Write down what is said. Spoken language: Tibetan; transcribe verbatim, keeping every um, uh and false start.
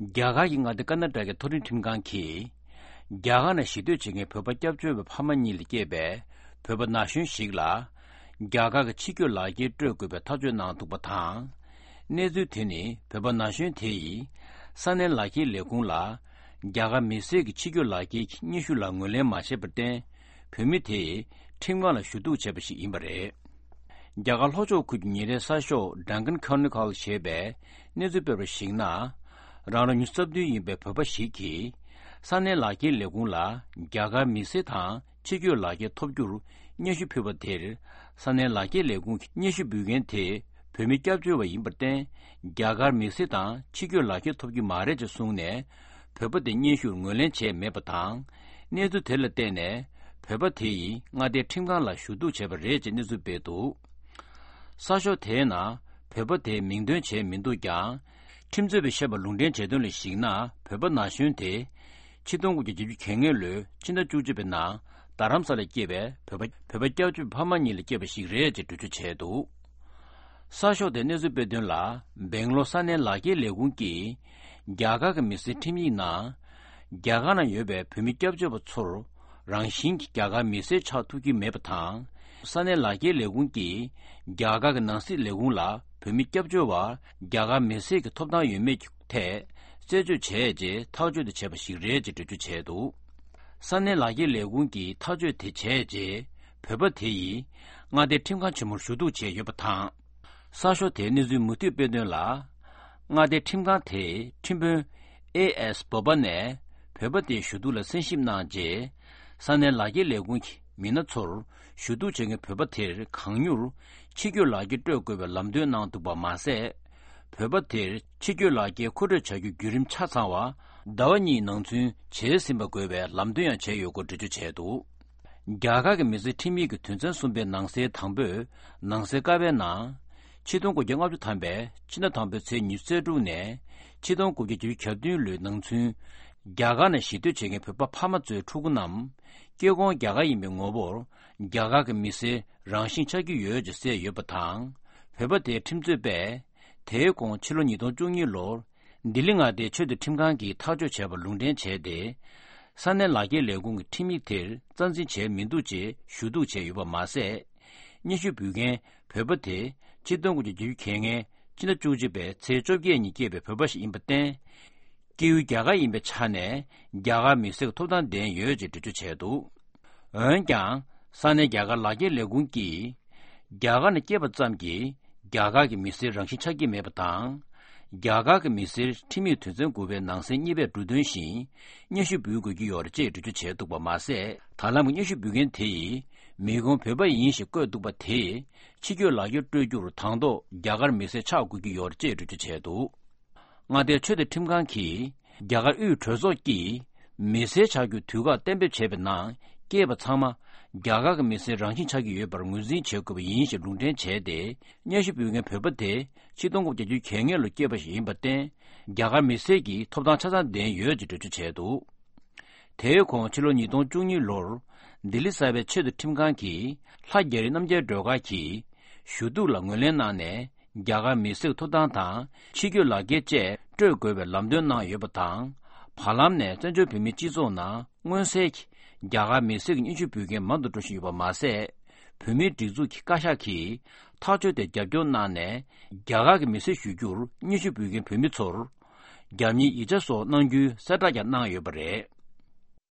རྒྱ་གར་གྱི་མངའ་སྡེ་ཀར་ནཱ་ཊ་ཀའི་མཐོ་རིམ་ཁྲིམས་ཁང་གིས། རྒྱ་གར་ནང་གཞིས་སྡོད་བྱེད་མཁན་བོད་པ་སྐྱབས་བཅོལ་བའི་ཕ་མ་གཉིས་ལ་སྐྱེས་པའི་བོད་པ་ན་གཞོན་ཞིག་ལ། རྒྱ་གར་གྱི་ཕྱི་སྐྱོད་ལག་འཁྱེར་སྤྲོད་དགོས་པའི་ཐག་གཅོད་གནང་འདུག་པ་དང་། གནས་ཚུལ་དེ་ནི་བོད་པ་ན་གཞོན་དེ་ཡིས་ས་གནས་ལག་འཁྱེར་ལས་ཁུངས་ལ། རྒྱ་གར་མི་སེར་གྱི་ཕྱི་སྐྱོད་ལག་འཁྱེར་གྱི་སྙན་ཞུ་ལ་ངོས་ལེན་མ་བྱས་པར་བརྟེན། བོད་མི་དེས་ཁྲིམས་ཁང་ལ་ཞུ་གཏུག་བྱས་པ་ཞིག་ཡིན་པ་རེད། རྒྱ་གར་ལྷོ་ཕྱོགས་ཁུལ་གྱི་ཉིན་རེའི་གསར་ཤོག་Deccan Chronicle ཞེས་པས་གནས་ཚུལ་སྤེལ་བར་གཞིགས་ན། རང་ལོ་ཉི་ཤུ་རྩ་བདུན་ཡིན་པའི་བོད་པ་ཞིག་གིས། ས་གནས་ལག་འཁྱེར་ལས་ཁུངས་ལ་རྒྱ་གར་མི་སེར་དང་ཕྱི་སྐྱོད་ལག་འཁྱེར་ཐོབ་རྒྱུར་སྙན་ཞུ་ཕུལ་བ་དེར། ས་གནས་ལག་འཁྱེར་ལས་ཁུངས་ཀྱི་སྙན་ཞུ་འབུལ་མཁན་དེ་བོད་མི་སྐྱབས་བཅོལ་བ་ཡིན་པར་བརྟེན། རྒྱ་གར་མི་སེར་དང་ཕྱི་སྐྱོད་ལག་འཁྱེར་ཐོབ་ཀྱི་མ་རེད་ཅེས་གསུངས་ནས། བོད་པ་དེ་སྙན་ཞུར་ངོས་ལེན་བྱས་མེད་པ་དང་། གནས་ཚུལ་དེ་ལ་བརྟེན་ནས། བོད་པ་དེ་ཡིས་མངའ་སྡེའི་ཁྲིམས་ཁང་ལ་ཞུ་གཏུག་བྱས་པ་རེད་ཅེས་གནས་ཚུལ་སྤེལ་འདུག་གསར་ཤོག་དེའི་ནང་བོད་པ་དེའི་མིང་འདོན་བྱས་མི་འདུག་ཀྱང་། ཁྲིམས་རྩོད་པས་བཤད་པ་ལུང་འདྲེན་བྱས་དོན་ལ་གཞིགས་ན། བོད་པ་ན་གཞོན་དེ་ཆིག་སྟོང་དགུ་བརྒྱ་བརྒྱད་ཅུ་གྱ་ལྔ་ལོའི་ཕྱི་ཟླ་བཅུ་གཅིག་པའི་ནང་རྡ་རམ་ས་ལར་སྐྱེས་པའི་བོད་པ་བོད་པ་སྐྱབས་བཅོལ་བའི་ཕ་མ་གཉིས་ལ་སྐྱེས་པ་ཞིག་རེད་ཅེས་འགྲེལ་བརྗོད་བྱས་འདུག་གསར་ཤོག་དེས་གནས་ཚུལ་སྤེལ་དོན་ལ། སྦེང་ལོར་ས་གནས་ལག་འཁྱེར་ལས་ཁུངས་ཀྱིས་རྒྱ་གར་གྱི་མི་སེར་ཁྲིམས་ཡིག་ནང་། རྒྱ་གར་ནང་ཡོད་པའི་བོད་མི་སྐྱབས་བཅོལ་བ་ཚོར་རང་བཞིན་གྱིས་རྒྱ་གར་མི་སེར་ཆགས་ཐུབ་ཀྱི་མེད་པ་དང་། ས་གནས་ལག་འཁྱེར་ལས་ཁུངས་ཀྱིས་རྒྱ་གར་གྱི་ནང་སྲིད་ལས་ཁུངས་ལ་བོད་མི་སྐྱབས་བཅོལ་བར་རྒྱ་གར་མི་སེར་གྱི་ཐོབ་ཐང་ཡོད་མེད་ཀྱི་ཐད་རྩད་གཅོད་བྱས་རྗེས་ཐག་གཅོད་དེ་བྱས་པ་ཞིག་རེད་ཅེས་འགྲེལ་བརྗོད་བྱས་འདུག་ས་གནས་ལག་འཁྱེར་ལས་ཁུངས་ཀྱིས་ཐག་གཅོད་དེ་བྱས་རྗེས། བོད་པ་དེ་ཡིས་མངའ་སྡེའི་ཁྲིམས་ཁང་ཆེན་མོར་ཞུ་གཏུག་བྱས་ཡོད་པ་དང་། གསར་ཤོག་དེས་གནས་ཚུལ་མུ་མཐུད་སྤེལ་དོན་ལ། མངའ་སྡེའི་ཁྲིམས་ཁང་དེའི་ཁྲིམས་དཔོན་ཨེ་ཨེས་བོ་པ་ནས་བོད་པ་དེའི་ཞུ་གཏུག་ལ་གསན་ཞིབ་གནང་རྗེས། ས་གནས་ལག་འཁྱེར་ལས་ཁུངས་ཀྱི་མི་སྣ་ཚོར་ཞུ་གཏུག་བྱེད་མཁན་བོད་པ་དེར་གང་མྱུར་ཕྱི་སྐྱོད་ལག་འཁྱེར་སྤྲོད་དགོས་པའི་ལམ་སྟོན་གནང་འདུག་པ་མ་ཟད། བོད་པ་དེར་ཕྱི་སྐྱོད་ལག་འཁྱེར་མཁོ་སྤྲོད་བྱ་རྒྱུའི་བརྒྱུད་རིམ་ཆ་ཚང་བ་ཟླ་བ་གཉིས་ནང་ཚུན་བྱས་ཟིན་པ་དགོས་པའི་ལམ་སྟོན་ཡང་བྱས་ཡོད་སྐོར་འགྲེལ་བརྗོད་བྱས་འདུག་རྒྱ་གར་གྱི་མི་སེར་ཁྲིམས་ཡིག་གི་དོན་ཚན་གསུམ་པའི་ནང་གསེས་དང་པོས་ནང་གསེས་ཀ་པའི་ནང་། ཆིག་སྟོང་དགུ་བརྒྱ་ལྔ་བཅུ་ཐམ་པའི་ཕྱི་ཟླ་དང་པོའི་ཚེས་ཉི་ཤུ་རྩ་དྲུག་ནས་ཆིག་སྟོང་དགུ་བརྒྱ་བརྒྱད་ཅུ་གྱ་བདུན་ལོའི་ནང་ཚུན། རྒྱ་གར་ནང་གཞིས་སྡོད་བྱེད་མཁན་བོད་པ་ཕ་མ་ཚོའི་ཕྲུ་གུ་རྣམས། སྐྱེ་ཁུངས་རྒྱ་གར་ཡིན་པའི་ངོ་བོར། རྒྱ་གར་གྱི་མི་སེར་རང་བཞིན་ཆགས་ཀྱི་ཡོད་ཅེས་གསལ་ཡོད་པ་དང་། བོད་པ་དེའི་ཁྲིམས་རྩོད་པས། དེའི་གོང་ཕྱི་ལོ་ཉིས་སྟོང་བཅུ་གཉིས་ལོར། ལྡི་ལི་མངའ་སྡེའི་ཆེས་མཐོའི་ཁྲིམས་ཁང་གིས་ཐག་གཅོད་བྱས་པ་ལུང་འདྲེན་བྱས་ཏེ། ས་གནས་ལག་འཁྱེར་ལས་ཁུངས་ཀྱི་ཁྲིམས་ཡིག་དེར་རྩ་འཛིན་བྱས་མི་འདུག་ཅེས་ཞུ་གཏུག་བྱས་ཡོད་པ་མ་ཟད། སྙན་ཞུ་འབུལ་མཁན་བོད་པ་དེ་ཆིག་སྟོང་དགུ་བརྒྱ་བརྒྱད་ཅུ་གྱ་ལྔའི་ཕྱི་ཟླ་བཅུ་གཅིག་པའི་ཚེས་བཅོ་བརྒྱད་ཉིན་སྐྱེས་པའི་བོད་པ་ཞིག་ཡིན་པར་བརྟེན། སྐྱེས་ཡུལ་རྒྱ་གར་ཡིན་པའི་ཆ་ནས་རྒྱ་གར་མི་སེར་གྱི་ཐོབ་ཐང་ལྡན་ཡོད་ཅེས་འགྲེལ་བརྗོད་བྱས་འདུག་འོན་ཀྱང་། ས་གནས་རྒྱ་གར་ལག་འཁྱེར་ལས་ཁུངས་ཀྱིས། རྒྱ་གར་ནང་སྐྱེས་པ་ཙམ་གྱིས། རྒྱ་གར་གྱི་མི་སེར་རང་བཞིན་ཆགས་ཀྱི་མེད་པ་དང་། རྒྱ་གར་གྱི་མི་སེར་ཁྲིམས་ཡིག་དོན་ཚན་དགུ་པའི་ནང་གསེས་གཉིས་པས་འབྲུ་དོན་བཞིན། སྙན་ཞུ་འབུལ་དགོས་ཀྱི་ཡོད་རེད་ཅེས་འགྲེལ་བརྗོད་བྱས་འདུག་པ་མ་ཟད། ད་ལམ་གྱི་སྙན་ཞུ་འབུལ་མཁན་དེ་ཡིས། མི་ཁོང་བོད་པ་ཡིན་ཞེས་བཀོད་འདུག་པ་དེས། ཕྱི་སྐྱོད་ལག་འཁྱེར་སྤྲོད་རྒྱུར་དང་ཐོག་རྒྱ་གར་མི་སེར་ཆགས་དགོས་ཀྱི་ཡོད་རེད་ཅེས་འགྲེལ་བརྗོད་བྱས་འདུག་མངའ་སྡེའི་ཆེས་མཐོའི་ཁྲིམས་ཁང་གིས། རྒྱ་གར་དབུས་གྲོས་ཚོགས་ཀྱིས། མི་སེར་ཆགས་རྒྱུའི་དུས་བཀག་གཏན་འབེབས་བྱས་པའི་ནང་། སྐྱེས་པ་ཚང་མ། རྒྱ་གར་གྱི་མི་སེར་རང་བཞིན་ཆགས་ཀྱི་ཡོད་པར་ངོས་འཛིན་བྱེད་དགོས་པ་ཡིན་ཞེས་ལུང་འདྲེན་བྱས་ཏེ། སྙན་ཞུ་འབུལ་མཁན་བོད་པ་དེ། ཆིག་སྟོང་དགུ་བརྒྱ་བརྒྱད་ཅུ་གྱ་ལྔ་ལོར་སྐྱེས་པ་ཞིག་ཡིན་པར་བརྟེན། རྒྱ་གར་མི་སེར་གྱི་ཐོབ་ཐང་ཆ་ཚང་ལྡན་ཡོད་ཅེས་འགྲེལ་བརྗོད་བྱས་འདུག་དེའི་གོང་ཕྱི་ལོ་ཉིས་སྟོང་བཅུ་གཉིས་ལོར། ལྡི་ལི་གསར་པའི་ཆེས་མཐོའི་ཁྲིམས་ཁང་གིས། ལྷ་རྒྱ་རི་རྣམ་རྒྱལ་སྒྲོལ་དཀར་གྱི། ཞུ་གཏུག་ལ་ངོས་ལེན་གནང་ནས། རྒྱ་གར་མི་སེར་གྱི་ཐོབ་ཐང་དང་། ཕྱི་སྐྱོད་ལག་འཁྱེར་བཅས་སྤྲོད་དགོས་པའི་ལམ་སྟོན་གནང་ཡོད་པ་དང་། བར་ལམ་ནས་བཙན་བྱོལ་བོད་མིའི་སྤྱི་ཚོགས་ནང་མངོན་གསལ་གྱིས་རྒྱ་གར་མི་སེར་གྱི་སྙན་ཞུ་འབུལ་མཁན་མང་དུ་འགྲོ་བཞིན་ཡོད་པ་མ་ཟད། བོད་མིའི་སྒྲིག་འཛུགས་ཀྱི་བཀའ་ཤག་གིས་ཐག་གཅོད་དེར་རྒྱབ་སྐྱོར་གནང་ནས། རྒྱ་གར་གྱི་མི་སེར་ཞུ་རྒྱུར་སྙན་ཞུ་འབུལ་མཁན་བོད་མི་ཚོར། རྒྱ་མིའི་ཡིག་ཆ་སོགས་གནང་རྒྱུའི་གསལ་བསྒྲགས་ཀྱང་གནང་ཡོད་པ་རེད།